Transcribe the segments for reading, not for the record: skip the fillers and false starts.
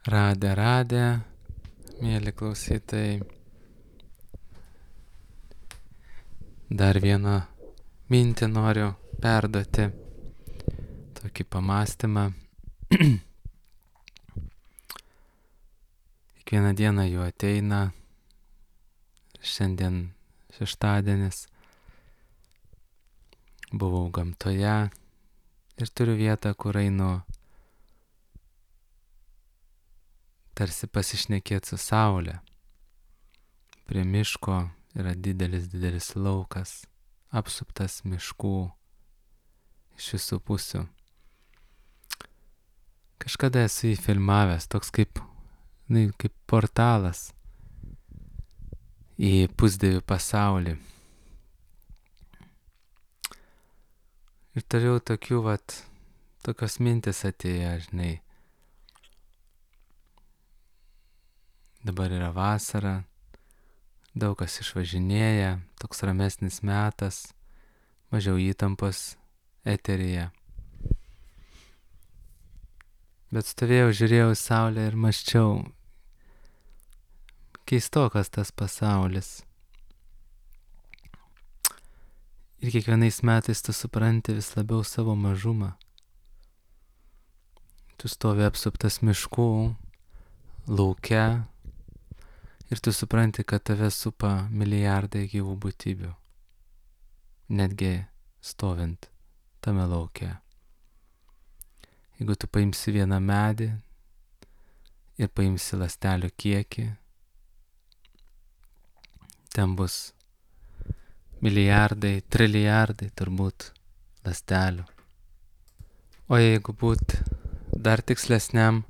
Radę, mėly klausytojai. Dar vieną mintį noriu perduoti, tokį pamastymą. Kiekvieną dieną jų ateina, šiandien šeštadienis, buvau gamtoje ir turiu vietą, kur einu tarsi pasišnekėti su saule. Prie miško yra didelis laukas, apsuptas miškų iš visų pusių. Kažkada esu jį filmavęs, toks kaip portalas į pusdievių pasaulį. Ir turėjau tokios mintis atėjo, žinai. Dabar yra vasara, daug kas išvažinėja, toks ramesnis metas, mažiau įtampos eteryje. Bet stovėjau, žiūrėjau į saulę ir mąsčiau, keistokas tas pasaulis. Ir kiekvienais metais tu supranti vis labiau savo mažumą. Tu stovi apsuptas miškų, lauke, ir tu supranti, kad tave supa milijardai gyvų būtybių, netgi stovint tame lauke. Jeigu tu paimsi vieną medį ir paimsi ląstelių kiekį, ten bus milijardai, trilijardai turbūt ląstelių. O jeigu būt dar tikslesniam,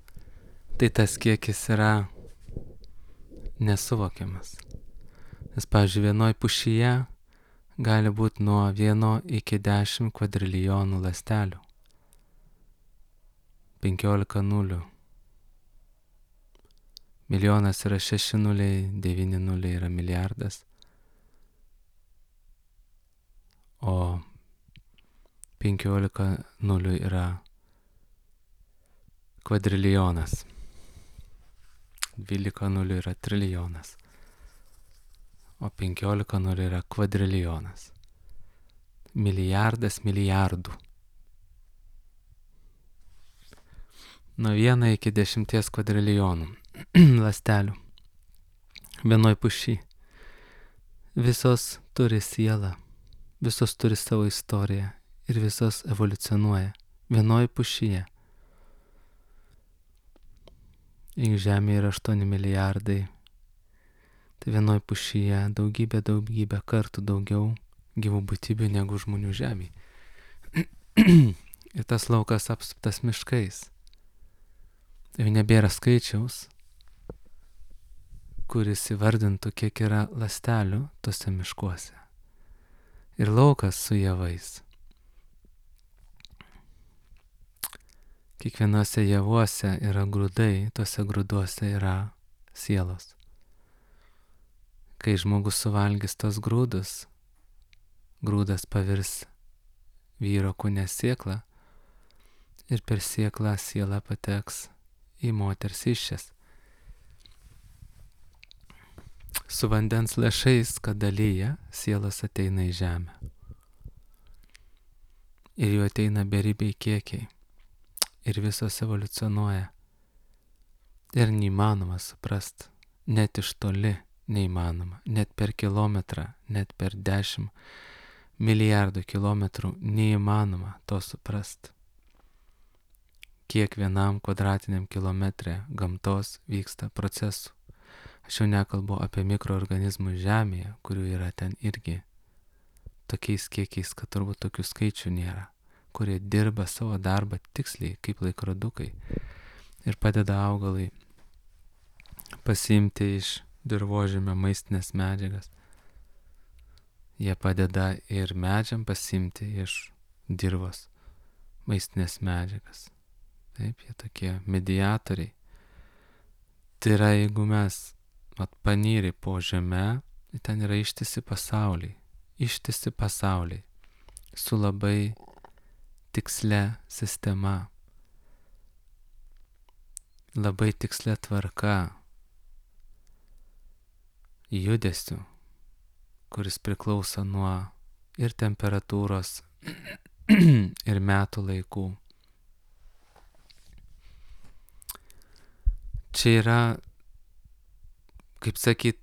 tai tas kiekis yra nesuvokiamas. Nes, pavyzdžiui, vienoj pušyje gali būti nuo 1 iki 10 kvadrilijonų ląstelių. 15 nulių. Milijonas yra 6 nuliai, 9 nuliai yra milijardas. O 15 nulių yra kvadrilijonas. 12 nulių yra trilijonas. O 15 nulių yra kvadrilijonas. Milijardas milijardų. Nuo 1 iki 10 kvadrilijonų ląstelių vienoj pušy. Visos turi sielą, visos turi savo istoriją ir visos evoliucionuoja vienoj pušyje. Jeigu Žemėje yra 8 milijardai, tai vienoj pušyje daugybę kartų daugiau gyvų būtybių negu žmonių Žemėje. Ir tas laukas apsuptas miškais. Jau nebėra skaičiaus, kuris įvardintų, kiek yra ląstelių tose miškuose. Ir laukas su javais. Kiekvienose javuose yra grūdai, tose grūduose yra sielos. Kai žmogus suvalgys tos grūdus, grūdas pavirs vyro kūne sėklą ir per sėklą siela pateks į moters įsčias. Su vandens lašais, kad dalyja, sielos ateina į žemę. Ir jų ateina beribiai kiekiai. Ir visos evoliucionuoja. Ir neįmanoma suprast, net iš toli neįmanoma, net per kilometrą, net per 10 milijardų kilometrų neįmanoma to suprast. Kiek vienam kvadratiniam kilometre gamtos vyksta procesų. Aš jau nekalbu apie mikroorganizmus Žemėje, kurių yra ten irgi tokiais kiekiais, kad turbūt tokių skaičių nėra, kurie dirba savo darbą tiksliai kaip laikrodukai ir padeda augalai pasiimti iš dirvožemio maistinės medžiagas. Jie padeda ir medžiam pasiimti iš dirvos maistinės medžiagas. Taip, jie tokie mediatoriai. Tai yra, jeigu mes panyri po žemę, ten yra ištisi pasauliai su labai tikslia sistema. labai tikslia tvarka judesiu, kuris priklauso nuo ir temperatūros, ir metų laikų. Čia yra, kaip sakyt,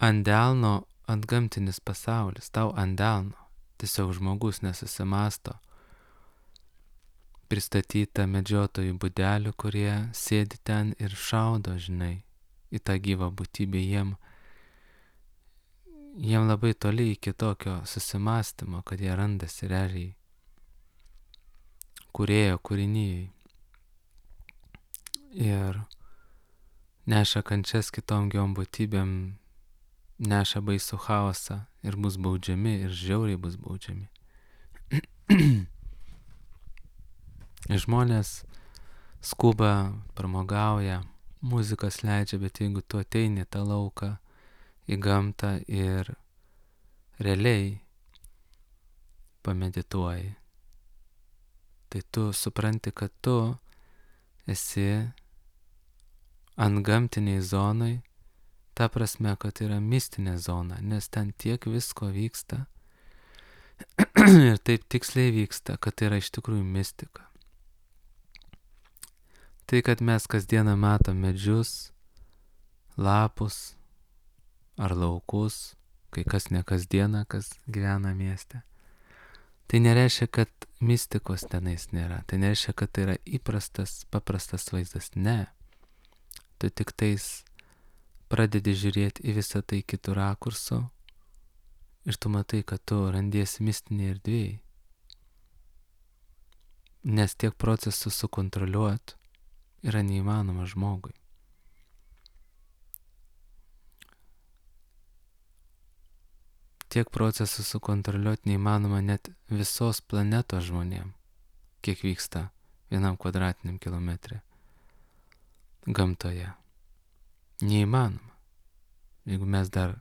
ant delno antgamtinis pasaulis, tau ant delno. Tiesiog žmogus nesusimasto. Pristatyta medžiotojų būdelių, kurie sėdi ten ir šaudo, žinai, į tą gyvą būtybę. Jiem labai toli iki tokio susimastymo, kad jie randasi realiai kūrėjo kūrinyjei. Ir neša kančias kitom gyvom būtybėm, neša baisų chaosą ir bus baudžiami, ir žiauriai bus baudžiami. Žmonės skuba, pramogauja, muzikas leidžia, bet jeigu tu ateini į tą lauką, į gamtą ir realiai pamedituoji, tai tu supranti, kad tu esi antgamtiniai zonai, ta prasme, kad yra mistinė zona, nes ten tiek visko vyksta ir taip tiksliai vyksta, kad tai yra iš tikrųjų mistika. Tai, kad mes kasdieną matom medžius, lapus ar laukus, kai kas ne kasdieną, kas gyvena mieste, tai nereiškia, kad mistikos tenais nėra. Tai nereiškia, kad tai yra įprastas, paprastas vaizdas. Ne. Tu tik tais pradedi žiūrėti į visą tai kitų rakursų ir tu matai, kad tu randiesi mistinėje erdvėje. Nes tiek procesų sukontroliuoti yra neįmanoma žmogui. Tiek procesų sukontroliuoti neįmanoma net visos planetos žmonėm, kiek vyksta 1 kvadratiniam kilometre gamtoje. Neįmanoma. Jeigu mes dar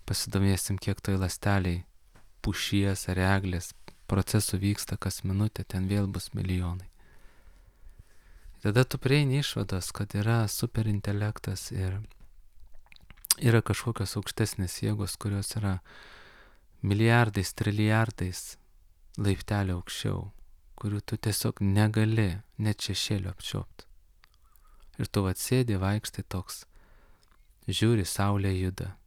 pasidomėsim, kiek toj ląsteliai pušies ar eglės procesų vyksta kas minutę, ten vėl bus milijonai. Tada tu prieini išvados, kad yra superintelektas ir yra kažkokios aukštesnės jėgos, kurios yra milijardais, trilijardais laiptelio aukščiau, kurių tu tiesiog negali net šešėlio apčiopti. Ir tu atsėdi, vaikštai toks, žiūri, saulė juda.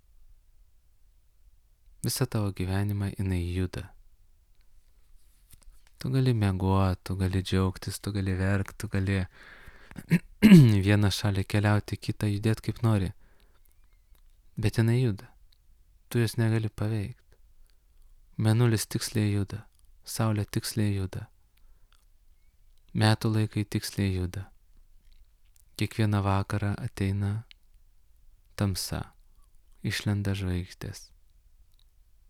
Visą tavo gyvenimą jinai juda. Tu gali mieguoti, tu gali džiaugtis, tu gali verkti, tu gali vieną šalį keliauti, kitą judėti kaip nori. Bet jinai juda. Tu jos negali paveikti. Mėnulis tiksliai juda, saulė tiksliai juda. Metų laikai tiksliai juda. Kiekvieną vakarą ateina tamsa, išlenda žvaigždės.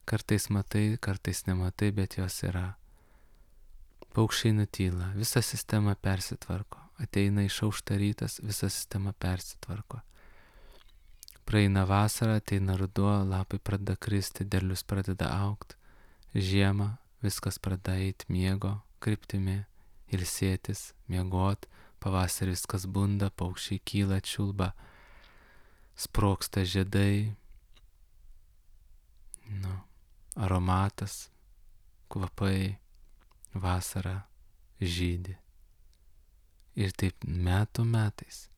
Kartais matai, kartais nematai, bet jos yra. Paukščiai nutyla, visa sistema persitvarko. Ateina išaušta rytas, visa sistema persitvarko. Praeina vasara, ateina ruduo, lapai pradeda kristi, derlius pradeda augti. Žiema, viskas pradeda eiti miego kryptimi, ilsėtis, miegot. Pavasarį viskas bunda, paukščiai kyla, čiulba, sprogsta žiedai. Aromatas, kvapai. Vasara žydi. Ir taip metų metais.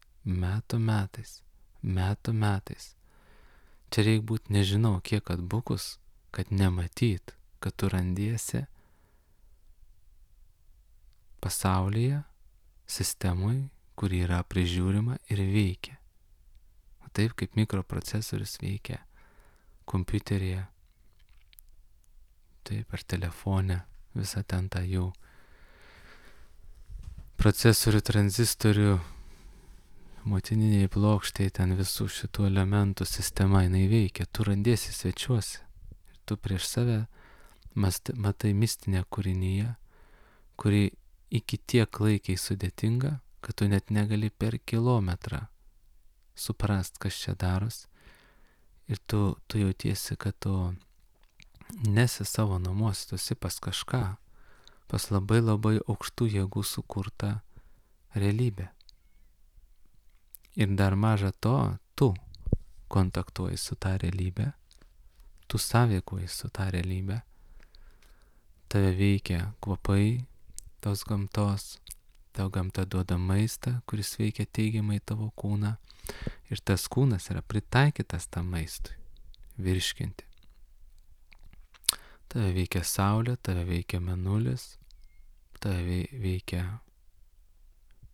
Čia reikia būti nežinau kiek atbukus, kad nematyt, kad tu randiesi pasaulyje, sistemui, kuri yra prižiūrima ir veikia. O taip kaip mikroprocesorius veikia kompiuteryje, taip ar telefone. Visą ten tą jų procesorių, tranzistorių, motininiai plokščiai, ten visų šitų elementų sistema jinai veikia. Tu randiesi svečiuose ir tu prieš save matai mistinę kūrinyje, kuri iki tiek klaikiai sudėtinga, kad tu net negali per kilometrą suprast, kas čia daros. Ir tu jautiesi, kad tu nesi savo namuose, tu esi pas kažką, pas labai labai aukštų jėgų sukurtą realybę. Ir dar maža to, tu kontaktuoji su tą realybę, tu sąveikuoji su tą realybę, tave veikia kvapai tos gamtos, tau gamta duoda maistą, kuris veikia teigiamai tavo kūną ir tas kūnas yra pritaikytas tam maistui virškinti. Tave veikia saulė, tave veikia mėnulis, tave veikia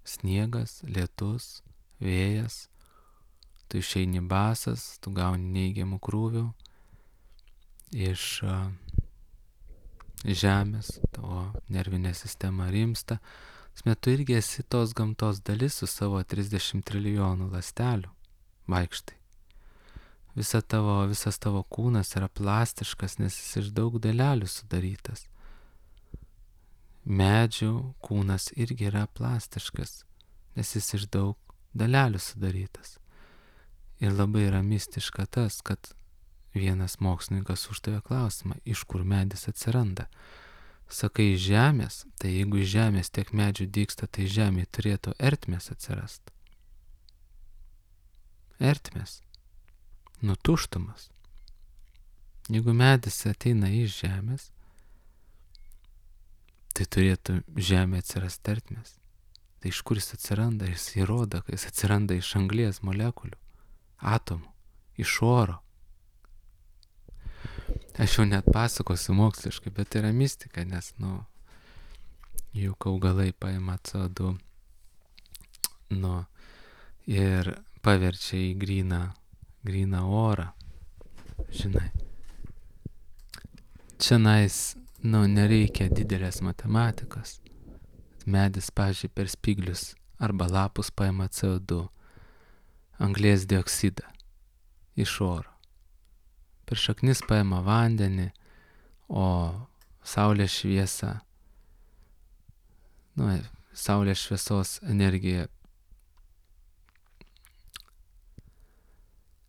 sniegas, lietus, vėjas, tu išeini basas, tu gauni neigiamų krūvių iš žemės, tavo nervinė sistema rimsta. Tu irgi esi tos gamtos dalis su savo 30 trilijonų ląstelių, vaikštai. Visas tavo kūnas yra plastiškas, nes jis iš daug dalelių sudarytas. Medžių kūnas irgi yra plastiškas, nes jis iš daug dalelių sudarytas. Ir labai yra mistiška tas, kad vienas mokslininkas uždavė klausimą, iš kur medis atsiranda. Sakai iš žemės, tai jeigu iš žemės tiek medžių dygsta, tai žemėje turėtų ertmės atsirast. Ertmės. Tuštumas. Jeigu medis ateina iš žemės, tai turėtų žemė atsirast ertmės. Tai iš kur jis atsiranda? Jis įrodo, kad jis atsiranda iš anglies molekulių, atomų, iš oro. Aš jau net pasakosiu moksliškai, bet tai yra mistika, nes, juk augalai paima CO2, ir paverčia į gryną orą. Žinai. Čianais, nereikia didelės matematikos. Medis, pavyzdžiui, per spyglius arba lapus paima CO2, anglies dioksidą iš oro. Per šaknis paima vandenį, o saulės šviesa, saulės šviesos energija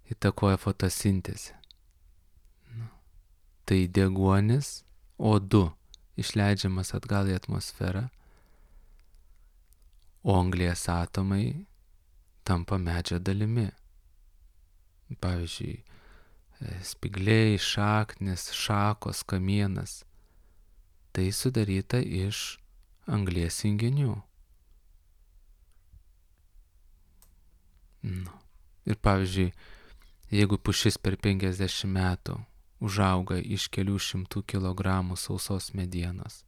įtakoja fotosintezę. Tai deguonis O2 išleidžiamas atgal į atmosferą, o anglies atomai tampa medžio dalimi. Pavyzdžiui, spygliai, šaknis, šakos, kamienas. Tai sudaryta iš anglies junginių. Ir pavyzdžiui, jeigu pušis per 50 metų užauga iš kelių šimtų kilogramų sausos medienos,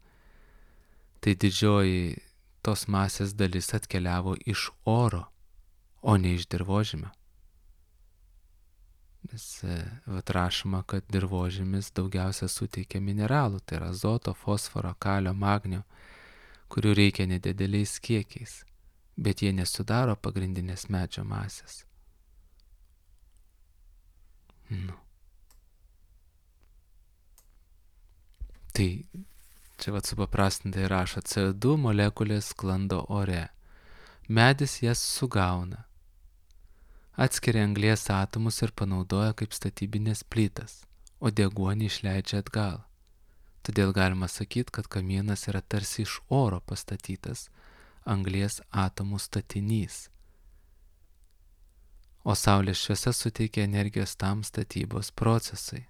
tai didžioji tos masės dalis atkeliavo iš oro, o ne iš dirvožemio. Nes rašoma, kad dirvožemis daugiausia suteikia mineralų, tai yra azoto, fosforo, kalio, magnio, kurių reikia nedideliais kiekiais, bet jie nesudaro pagrindinės medžio masės. Tai čia supaprastintai rašo, CO2 molekulės sklando ore. Medis jas sugauna, atskiria anglies atomus ir panaudoja kaip statybinės plytas, o deguonį išleidžia atgal. Todėl galima sakyti, kad kamienas yra tarsi iš oro pastatytas anglies atomų statinys, o saulės šviesa suteikia energijos tam statybos procesai.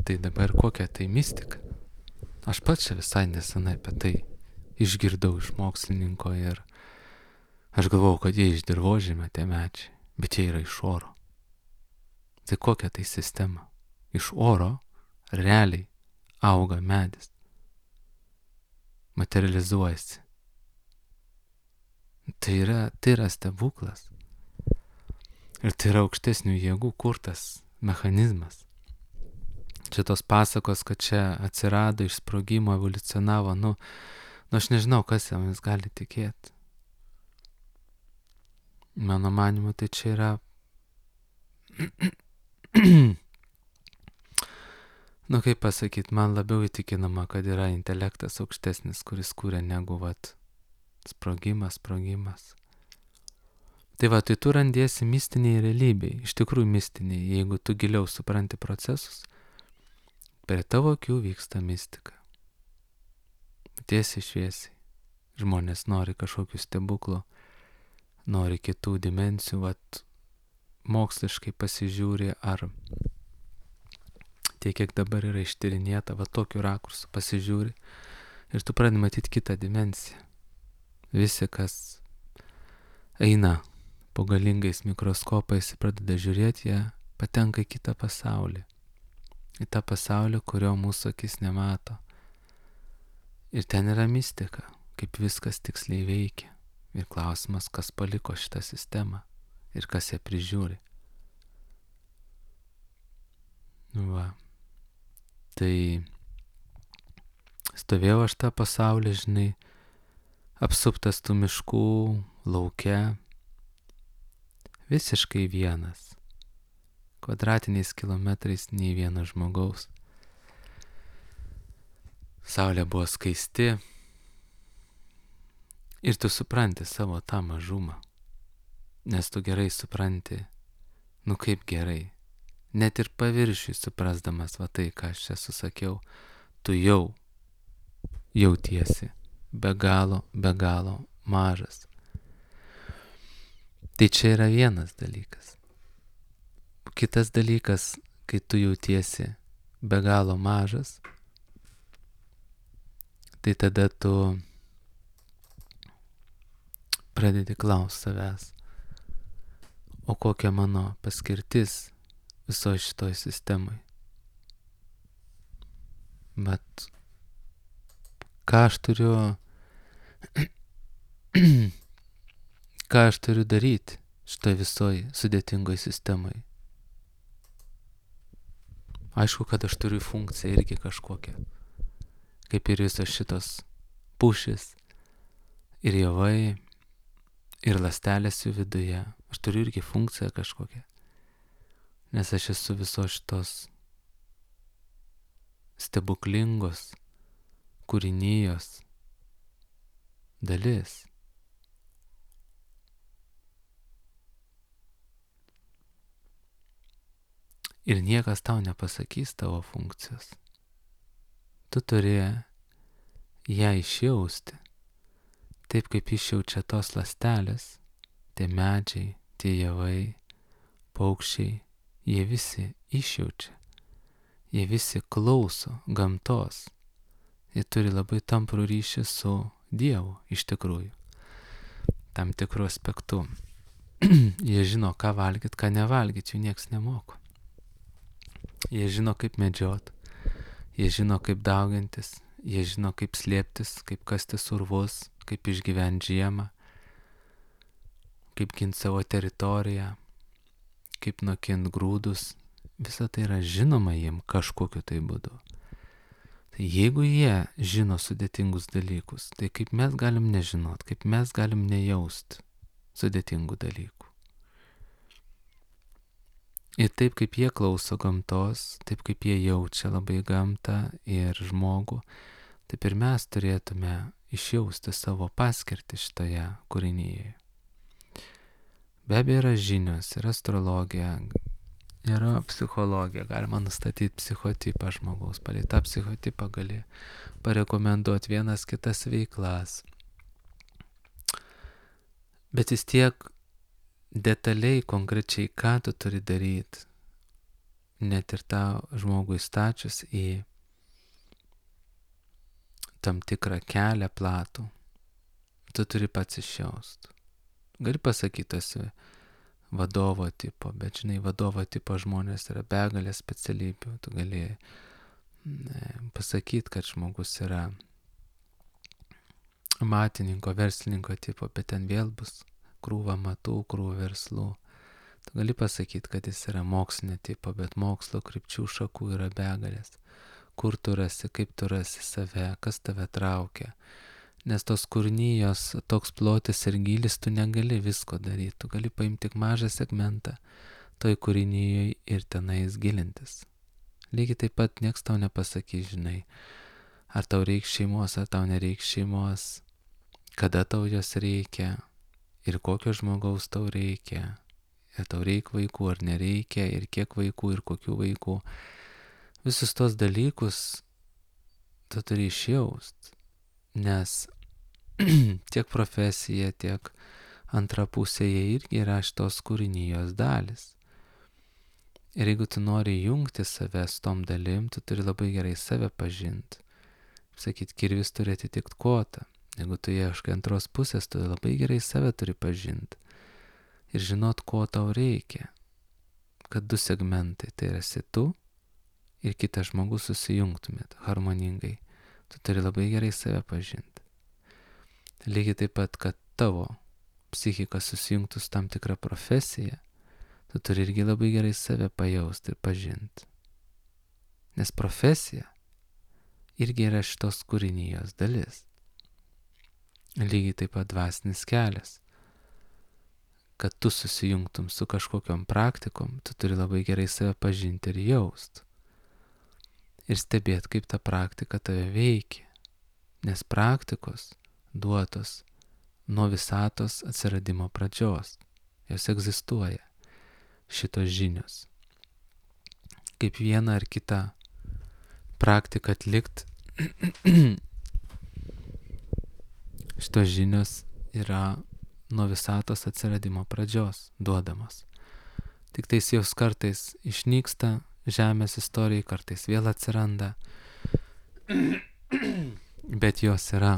Tai dabar kokia tai mistika? Aš pats čia visai nesenai apie tai išgirdau iš mokslininko ir aš galvojau, kad jie iš dirvožemio tie medžiai, bet jie yra iš oro. Tai kokia tai sistema? Iš oro realiai auga medis, materializuojasi. Tai yra stebuklas. Ir tai yra aukštesnių jėgų kurtas mechanizmas. Čia tos pasakos, kad čia atsirado iš sprogimo, evoliucionavo, aš nežinau, kas jomis gali tikėti. Mano manimu, tai čia yra kaip pasakyti, man labiau įtikinama, kad yra intelektas aukštesnis, kuris kūrė negu sprogimas. Tai tu randiesi mistiniai realybei, iš tikrųjų mistiniai, jeigu tu giliau supranti procesus, per tavo akių vyksta mistika. Bet tiesiai šviesiai. Žmonės nori kažkokių stebuklų, nori kitų dimensijų, vat moksliškai pasižiūri, ar tiek, kiek dabar yra ištyrinėta, va tokiu rakursu pasižiūri ir tu pradedi matyti kitą dimensiją. Visi, kas eina po galingais mikroskopais ir pradeda žiūrėti, jie patenka į kitą pasaulį. Į tą pasaulį, kurio mūsų akis nemato. Ir ten yra mistika, kaip viskas tiksliai veikia. Ir klausimas, kas paliko šitą sistemą ir kas ją prižiūri. Va. Tai stovėjau aš tą pasaulį, žinai, apsuptas tų miškų, lauke, visiškai vienas. Kvadratiniais kilometrais nei vieno žmogaus. Saulė buvo skaisti ir tu supranti savo tą mažumą, nes tu gerai supranti, nu kaip gerai, net ir paviršiui suprasdamas va tai, ką aš čia susakiau, tu jau jautiesi be galo mažas. Tai čia yra vienas dalykas. Kitas dalykas, kai tu jautiesi be galo mažas, tai tada tu pradedi klausti savęs, o kokia mano paskirtis visoje šitoj sistemai. Bet ką aš turiu daryti šitoj visoj sudėtingoj sistemai. Aišku, kad aš turiu funkciją irgi kažkokią, kaip ir visos šitos pušys ir javai ir ląstelės jų viduje. Aš turiu irgi funkciją kažkokią, nes aš esu visos šitos stebuklingos kūrinijos dalis. Ir niekas tau nepasakys tavo funkcijos. Tu turi ją išjausti, taip kaip išjaučia tos ląstelės, tie medžiai, tie javai, paukščiai, jie visi išjaučia, jie visi klauso gamtos, jie turi labai tamprų ryšį su Dievu iš tikrųjų, tam tikrų aspektų. Jie žino, ką valgyt, ką nevalgyt, jų nieks nemoko. Jie žino, kaip medžiot, jie žino, kaip daugintis, jie žino, kaip slėptis, kaip kasti urvus, kaip išgyventi žiemą, kaip ginti savo teritoriją, kaip nokint grūdus. Visa tai yra žinoma jiem kažkokiu tai būdu. Tai jeigu jie žino sudėtingus dalykus, tai kaip mes galim nežinot, kaip mes galim nejaust sudėtingų dalykų. Ir taip kaip jie klauso gamtos, taip kaip jie jaučia labai gamtą ir žmogų, taip ir mes turėtume išjausti savo paskirtį šitoje kūrinyje. Be abejo yra žinios, yra astrologija, yra psichologija, galima nustatyti psichotipą žmogaus, palei tą psichotipą gali parekomenduoti vienas kitas veiklas. Bet vis tiek detaliai, konkrečiai, ką tu turi daryti, net ir tą žmogų įstačius į tam tikrą kelią platų, tu turi pats išjaust. Gali pasakyti, esi vadovo tipo, bet žinai, vadovo tipo žmonės yra begalė specialybių. Tu gali pasakyti, kad žmogus yra matininko, verslininko tipo, bet ten vėl bus krūva matų, krūva verslų. Tu gali pasakyti, kad jis yra mokslinio tipo, bet mokslo krypčių šakų yra begalės. Kur tu rasi, kaip tu rasi save, kas tave traukia. Nes tos kūrinijos toks plotis ir gylis, tu negali visko daryti. Tu gali paimti tik mažą segmentą toj kūrinijoj ir tenais gilintis. Lygiai taip pat nieks tau nepasakys, žinai, ar tau reiks šeimos, ar tau nereiks šeimos, kada tau jos reikia ir kokio žmogaus tau reikia, ir tau reikia vaikų ar nereikia, ir kiek vaikų, ir kokių vaikų. Visus tos dalykus tu turi išjaust. nes tiek profesija, tiek antra pusė jie irgi yra šitos kūrinijos dalis. Ir jeigu tu nori jungti save su tom dalim, tu turi labai gerai save pažinti. Sakyt, kirvis turi atitikti kotą. Jeigu tu ieškai antros pusės, tu labai gerai save turi pažinti. Ir žinot, ko tau reikia. Kad du segmentai, tai esi tu ir kitas žmogus susijungtumėt harmoningai. Tu turi labai gerai save pažinti. Lygiai taip pat, kad tavo psichika susijungtų su tam tikra profesija, tu turi irgi labai gerai save pajausti ir pažinti. Nes profesija irgi yra šitos kūrinijos dalis. Lygiai taip pat dvasinis kelias. Kad tu susijungtum su kažkokiom praktikom, tu turi labai gerai save pažinti ir jaust. Ir stebėti, kaip ta praktika tave veikia. Nes praktikos duotos nuo visatos atsiradimo pradžios. Jos egzistuoja, šitos žinios. Kaip vieną ar kitą praktiką atlikt, šitos žinios yra nuo visatos atsiradimo pradžios duodamos. Tik tais jos kartais išnyksta žemės istorijai, kartais vėl atsiranda, bet jos yra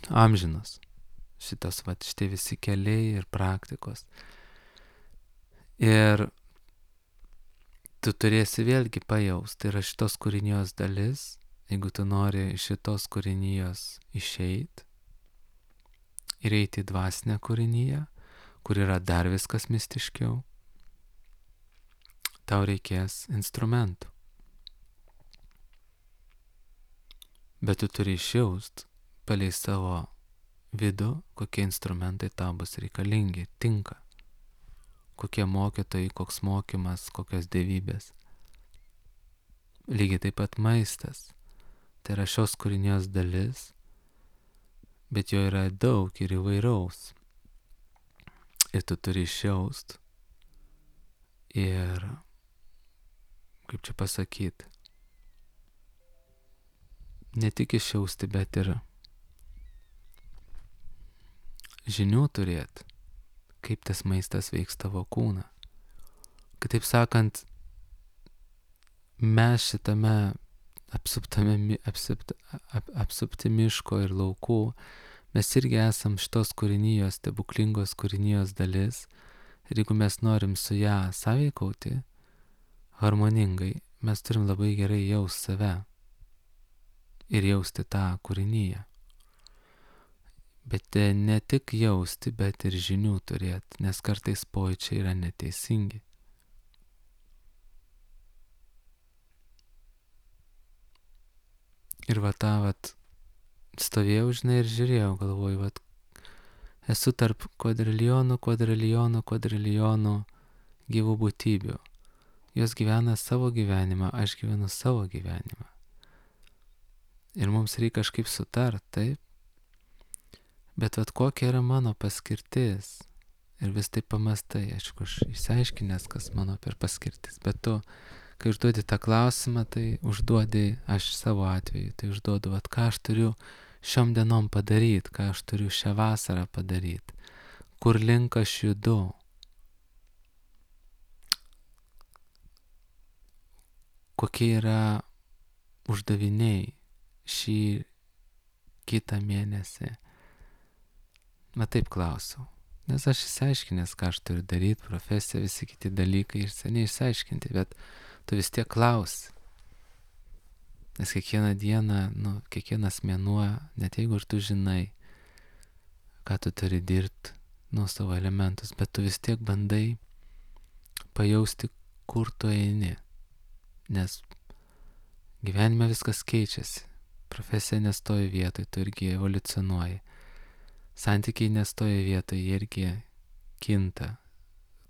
amžinos. Šitie visi keliai ir praktikos. Ir tu turėsi vėlgi pajaust, tai yra šitos kūrinijos dalis, jeigu tu nori iš šitos kūrinijos išeit ir eiti į dvasinę kūriniją, kur yra dar viskas mistiškiau, tau reikės instrumentų. Bet tu turi išjaust palei savo vidų, kokie instrumentai tau bus reikalingi, tinka. Kokie mokytojai, koks mokymas, kokios dievybės. Lygiai taip pat maistas. Tai yra šios kūrinijos dalis, bet jo yra daug ir įvairaus. Ir tu turi išjaust. Ir, kaip čia pasakyti, ne tik išjausti, bet ir žinių turėti, kaip tas maistas veiks tavo kūną. Kitaip sakant, mes šitame apsupti miško ir laukų, mes irgi esam šitos kūrinijos, stebuklingos kūrinijos dalis. Ir jeigu mes norim su ją sąveikauti harmoningai, mes turim labai gerai jaust save ir jausti tą kūriniją. Bet ne tik jausti, bet ir žinių turėti, nes kartais pojūčiai yra neteisingi. Ir stovėjau, žinai, ir žiūrėjau, galvoju, esu tarp kvadrilionų gyvų būtybių. Jos gyvena savo gyvenimą, aš gyvenu savo gyvenimą. Ir mums reikia kažkaip sutart, taip? Bet kokia yra mano paskirtis? Ir vis taip pamastai, aišku, aš išsiaiškinęs, kas mano per paskirtis. Bet tu, kai užduodi tą klausimą, tai užduodi, aš savo atveju, tai užduodu, ką aš turiu šiom dienom padaryti, ką aš turiu šią vasarą padaryti, kur link aš judu. Kokie yra uždaviniai šį kitą mėnesį. Taip klausiau. Nes aš išsiaiškinęs, ką aš turiu daryti, profesija, visi kiti dalykai ir seniai išsiaiškinti, bet tu vis tiek klausi. Nes kiekvieną dieną, kiekvienas mėnuo, net jeigu ir tu žinai, ką tu turi dirbti, savo elementus, bet tu vis tiek bandai pajausti, kur tu eini. Nes gyvenime viskas keičiasi. Profesija nestoja vietoj, tu irgi evoliucionuoji. Santykiai nestoja vietoj, jie irgi kinta.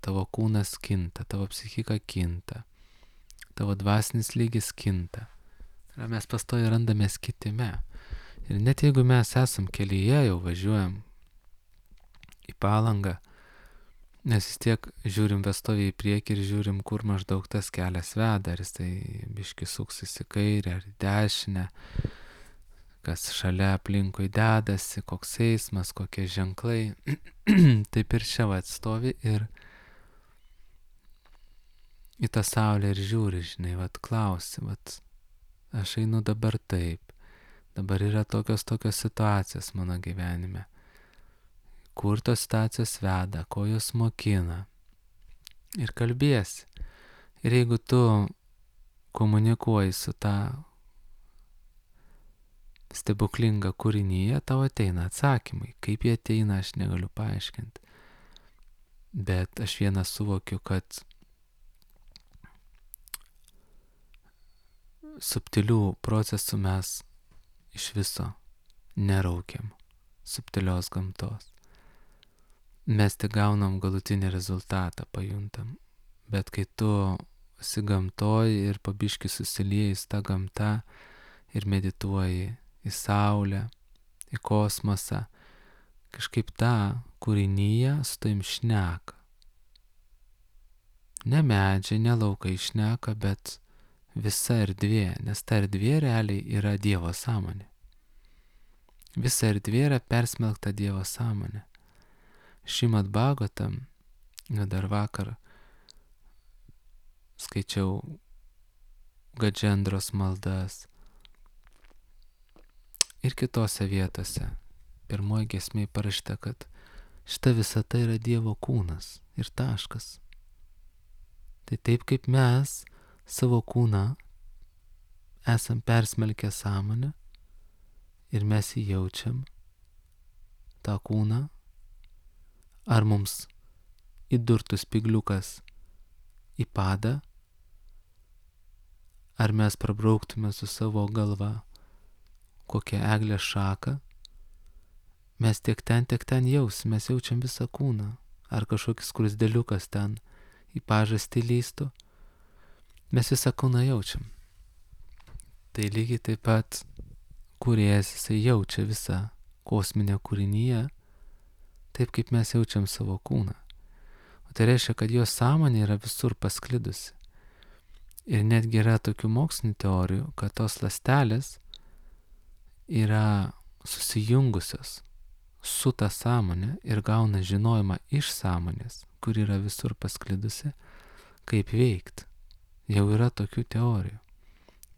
Tavo kūnas kinta, tavo psichika kinta, tavo dvasinis lygis kinta. Ir mes pastoja randamės kitime. Ir net jeigu mes esam kelyje, jau važiuojam į Palangą, nes vis tiek žiūrim pastoviai į priekį ir žiūrim, kur maždaug tas kelias veda, ar jisai biški suksis į kairę ar į dešinę. kas šalia aplinkui dedasi, koks eismas, kokie ženklai. Taip ir čia atstovi ir į tą saulę ir žiūri, žinai, klausi, aš einu dabar taip, dabar yra tokios situacijos mano gyvenime, kur tos situacijos veda, ko jos mokina ir kalbėsi. Ir jeigu tu komunikuoji su tą stebuklingą kūrinyje, tau ateina atsakymai. Kaip jie ateina, aš negaliu paaiškinti. Bet aš vieną suvokiu, kad subtilių procesų mes iš viso neraukiam, subtilios gamtos. Mes tik gaunam galutinį rezultatą, pajuntam. Bet kai tu esi gamtoj ir pabiški susilieji į tą gamtą ir medituoji į saulę, į kosmosą, kažkaip tą kūrinyje su tavim šneka. Ne medžiai, ne laukai šneka, bet visa erdvė, nes ta erdvė realiai yra Dievo sąmonė. Visa erdvė yra persmelkta Dievo sąmonė. Šrimad Bhagavatam, dar vakar skaičiau Gadžendros maldas ir kitose vietose. Pirmoji giesmėje parašyta, kad šita visata yra Dievo kūnas ir taškas. Tai taip kaip mes savo kūną esam persmelkę sąmonę ir mes jį jaučiam, tą kūną, ar mums įdurtų spigliukas į padą, ar mes prabrauktume su savo galva kokią eglės šaką, mes tiek ten jausim, mes jaučiam visą kūną, ar kažkokis skruzdėliukas ten į pažastį lįstų, mes visą kūną jaučiam. Tai lygiai taip pat kūrėjas, jisai jaučia visą kosminę kūrinyje, taip kaip mes jaučiam savo kūną. O tai reiškia, kad jo sąmonė yra visur pasklidusi. Ir netgi yra tokių mokslinių teorijų, kad tos ląstelės yra susijungusios su ta sąmonė ir gauna žinojimą iš sąmonės, kur yra visur pasklidusi, kaip veikti. Jau yra tokių teorijų.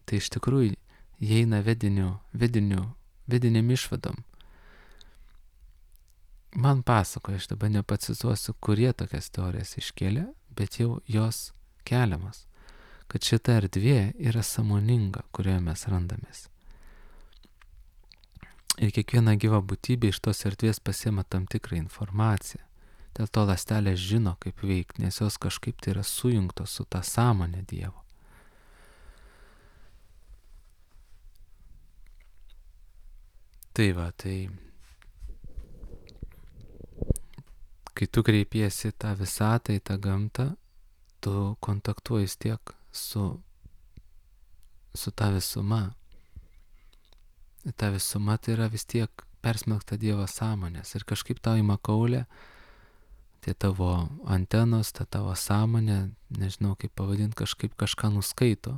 Tai iš tikrųjų įeina vediniam išvadom. Man pasakoja, aš dabar nepacituosiu, kurie tokias teorijas iškėlė, bet jau jos keliamas, kad šita erdvė yra sąmoninga, kurioje mes randamės. Ir kiekviena gyva būtybė iš tos erdvės pasiema tam tikrą informaciją. Dėl to ląstelės žino, kaip veikti, nes jos kažkaip tai yra sujungtos su ta sąmonė Dievo. Tai kai tu kreipiesi tą visatą, į tą gamtą, tu kontaktuoji tiek su ta visuma. Ta visuma tai yra vis tiek persmelkta Dievo sąmonės ir kažkaip tau į makaulę tie tavo antenos, ta tavo sąmonė, nežinau kaip pavadinti, kažkaip kažką nuskaito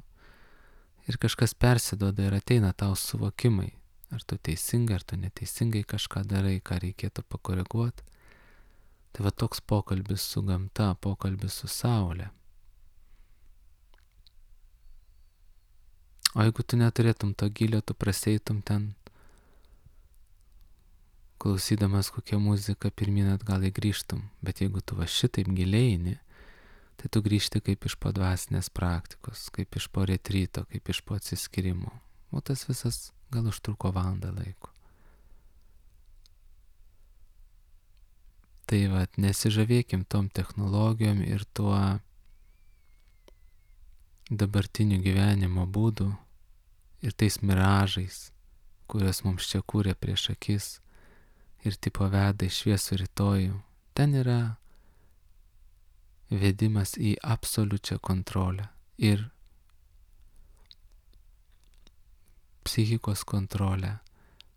ir kažkas persiduoda ir ateina tau suvokimai, ar tu teisingai, ar tu neteisingai kažką darai, ką reikėtų pakoreguoti. Tai va toks pokalbis su gamta, pokalbis su saulė. O jeigu tu neturėtum to gilio, tu prasieitum ten, klausydamas kokią muziką, pirmyn atgal grįžtum. Bet jeigu tu va šitaip giliai eini, tai tu grįžti kaip iš po dvasinės praktikos, kaip iš po retryto, kaip iš po atsiskyrimo. O tas visas gal užtruko valandą laiko. Tai va, nesižavėkim tom technologijom ir tuo dabartiniu gyvenimo būdu ir tais miražais, kuriuos mums čia kūrė prieš akis ir tipo veda į šviesų rytojų. Ten yra vedimas į absoliučią kontrolę ir psichikos kontrolę,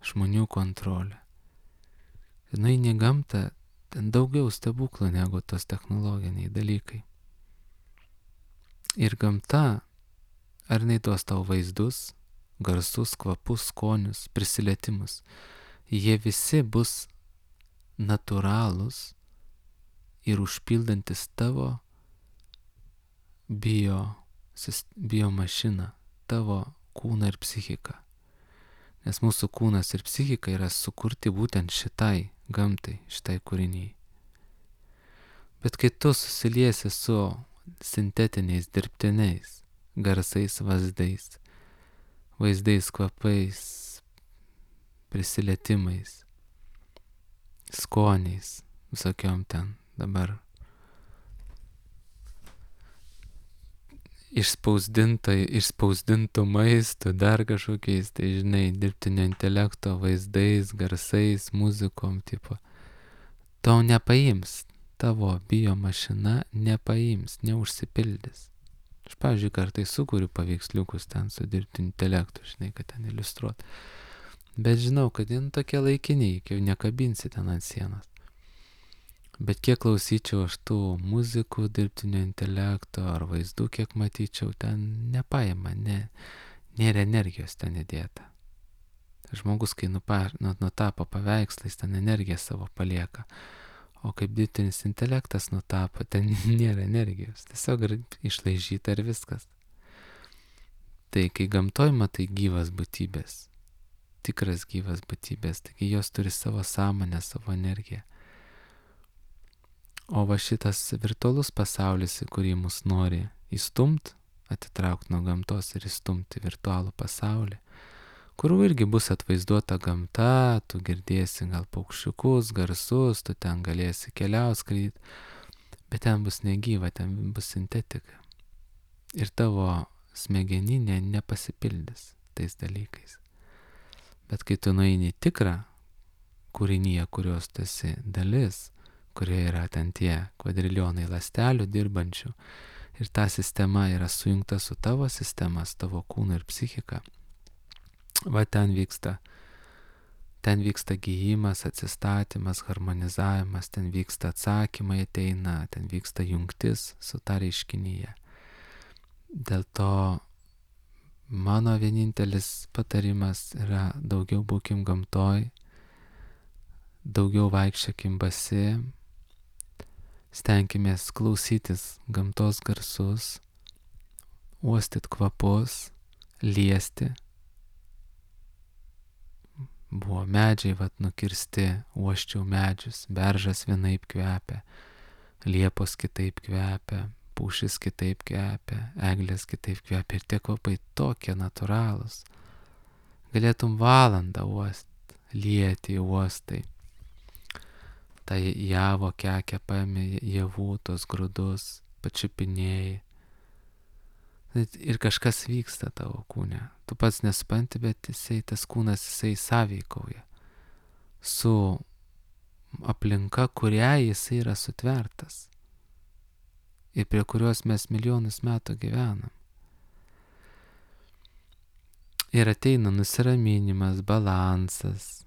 žmonių kontrolę. Ir nueini į gamtą, ten daugiau stebuklų negu tos technologiniai dalykai. Ir gamta, ar jinai duos tau vaizdus, garsus, kvapus, skonius, prisilietimus. Jie visi bus natūralūs ir užpildantis tavo biomašiną, tavo kūną ir psichiką. Nes mūsų kūnas ir psichika yra sukurti būtent šitai gamtai, šitai kūriniai. Bet kai tu susiliesi su sintetiniais, dirbtiniais garsais, vaizdais, kvapais, prisilietimais, skoniais, visokiom ten dabar išspausdintų maistų, dar kažkokiais, tai žinai, dirbtinio intelekto vaizdais, garsais, muzikom, tipo, to nepaims, tavo biomašina nepaims, neužsipildys. Aš, pavyzdžiui, kartais sukuriu paveiksliukus ten su dirbtiniu intelektu, žinai, kad ten iliustruot. Bet žinau, kad jie tokie laikiniai, jau nekabinsi ten ant sienos. Bet kiek klausyčiau aš tų muzikų, dirbtinio intelekto ar vaizdų, kiek matyčiau, ten nepaima, nėra energijos ten įdėta. Žmogus, kai nutapo paveikslais, ten energiją savo palieka. O kaip dirbtinis intelektas nutapo, ten nėra energijos. Tiesiog išlaižyta ir viskas. Tai kai gamtoj matai gyvas būtybės, tikras gyvas būtybės, taigi jos turi savo sąmonę, savo energiją. O va šitas virtualus pasaulis, į kurį mus nori įstumti, atitraukti nuo gamtos ir įstumti virtualų pasaulį, kur irgi bus atvaizduota gamta, tu girdėsi gal paukščiukus, garsus, tu ten galėsi keliaut, skraidyti, bet ten bus negyva, ten bus sintetika. Ir tavo smegeninė nepasipildys tais dalykais. Bet kai tu nueini tikrą kūrinyje, kurios tu esi dalis, kurioje yra ten tie kvadrilionai ląstelių dirbančių ir ta sistema yra sujungta su tavo sistema, su tavo kūnu ir psichika. Va ten vyksta gijimas, atsistatymas, harmonizavimas, ten vyksta atsakymai ateina, ten vyksta jungtis su ta reiškinyje. Dėl to mano vienintelis patarimas yra daugiau būkim gamtoj, daugiau vaikščiokim basi, stenkimės klausytis gamtos garsus, uostyt kvapus, liesti. Buvo medžiai nukirsti, uoščiau medžius, beržas vienaip kvepia, liepos kitaip kvepia, pušis kitaip kvepia, eglės kitaip kvepia ir tie kvapai tokie natūralūs. Galėtum valandą uost, lieti uostai. Tai javo kekia paėmė javų, tos grūdus, pačiupinėjai. Ir kažkas vyksta tavo kūne. Tu pats nesupranti, bet tas kūnas sąveikauja su aplinka, kurią jisai yra sutvertas ir prie kurios mes milijonus metų gyvenam. Ir ateina nusiraminimas, balansas,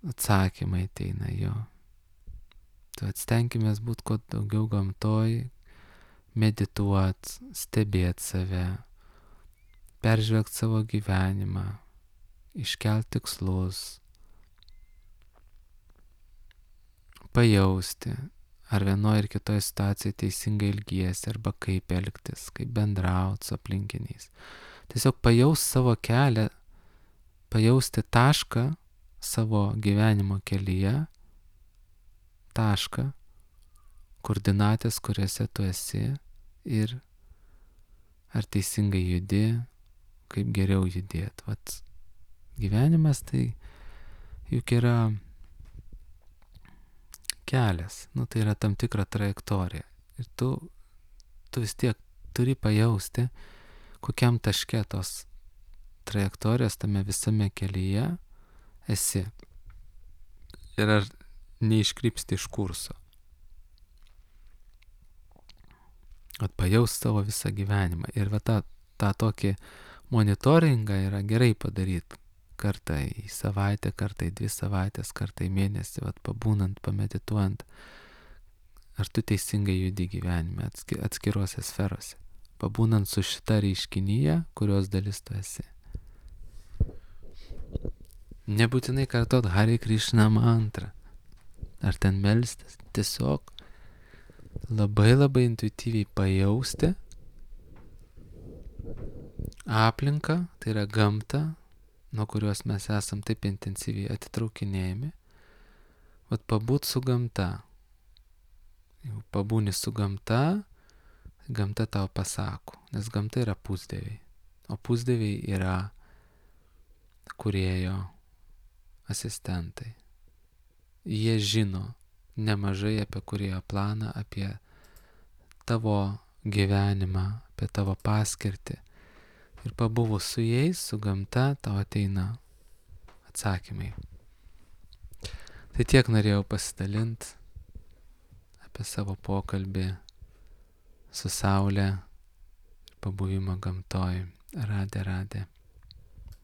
atsakymai ateina jo. Tu atstenkimės būti kuo daugiau gamtoj, medituot, stebėt save, peržvelgt savo gyvenimą, iškelt tikslus, pajausti, ar vienoje ir kitoje situacijoje teisingai elgiesi, arba kaip elgtis, kaip bendrauti su aplinkiniais. Tiesiog pajaust savo kelią, pajausti tašką savo gyvenimo kelyje, tašką, koordinatės, kuriuose tu esi ir ar teisingai judi, kaip geriau judėt. Vat gyvenimas tai juk yra kelias, tai yra tam tikra trajektorija. Ir tu vis tiek turi pajausti, kokiam taške tos trajektorijos tame visame kelyje esi. Ir ar neiškrypsti iš kurso. Atpajaus savo visą gyvenimą. Ir va tą tokį monitoringą yra gerai padaryti. Kartą į savaitę, kartą į 2 savaitės, kartą į mėnesį, pabūnant, pamedituojant. Ar tu teisingai judi gyvenime atskiruose sferose. Pabūnant su šita reiškinyje, kurios dalis tu esi. Nebūtinai kartot Hare Krishna mantrą. Ar ten melstis. Tiesiog labai intuityviai pajausti aplinką, tai yra gamtą, nuo kurios mes esam taip intensyviai atitraukinėjami. Vat pabūt su gamta. Jau pabūni su gamta, gamta tau pasako, nes gamta yra pusdieviai. O pusdieviai yra kūrėjo asistentai. Jie žino nemažai apie kūrėjo planą, apie tavo gyvenimą, apie tavo paskirtį. Ir pabuvus su jais, su gamta, tau ateina atsakymai. Tai tiek norėjau pasidalinti apie savo pokalbį su Saule ir pabuvimą gamtoj. Radė.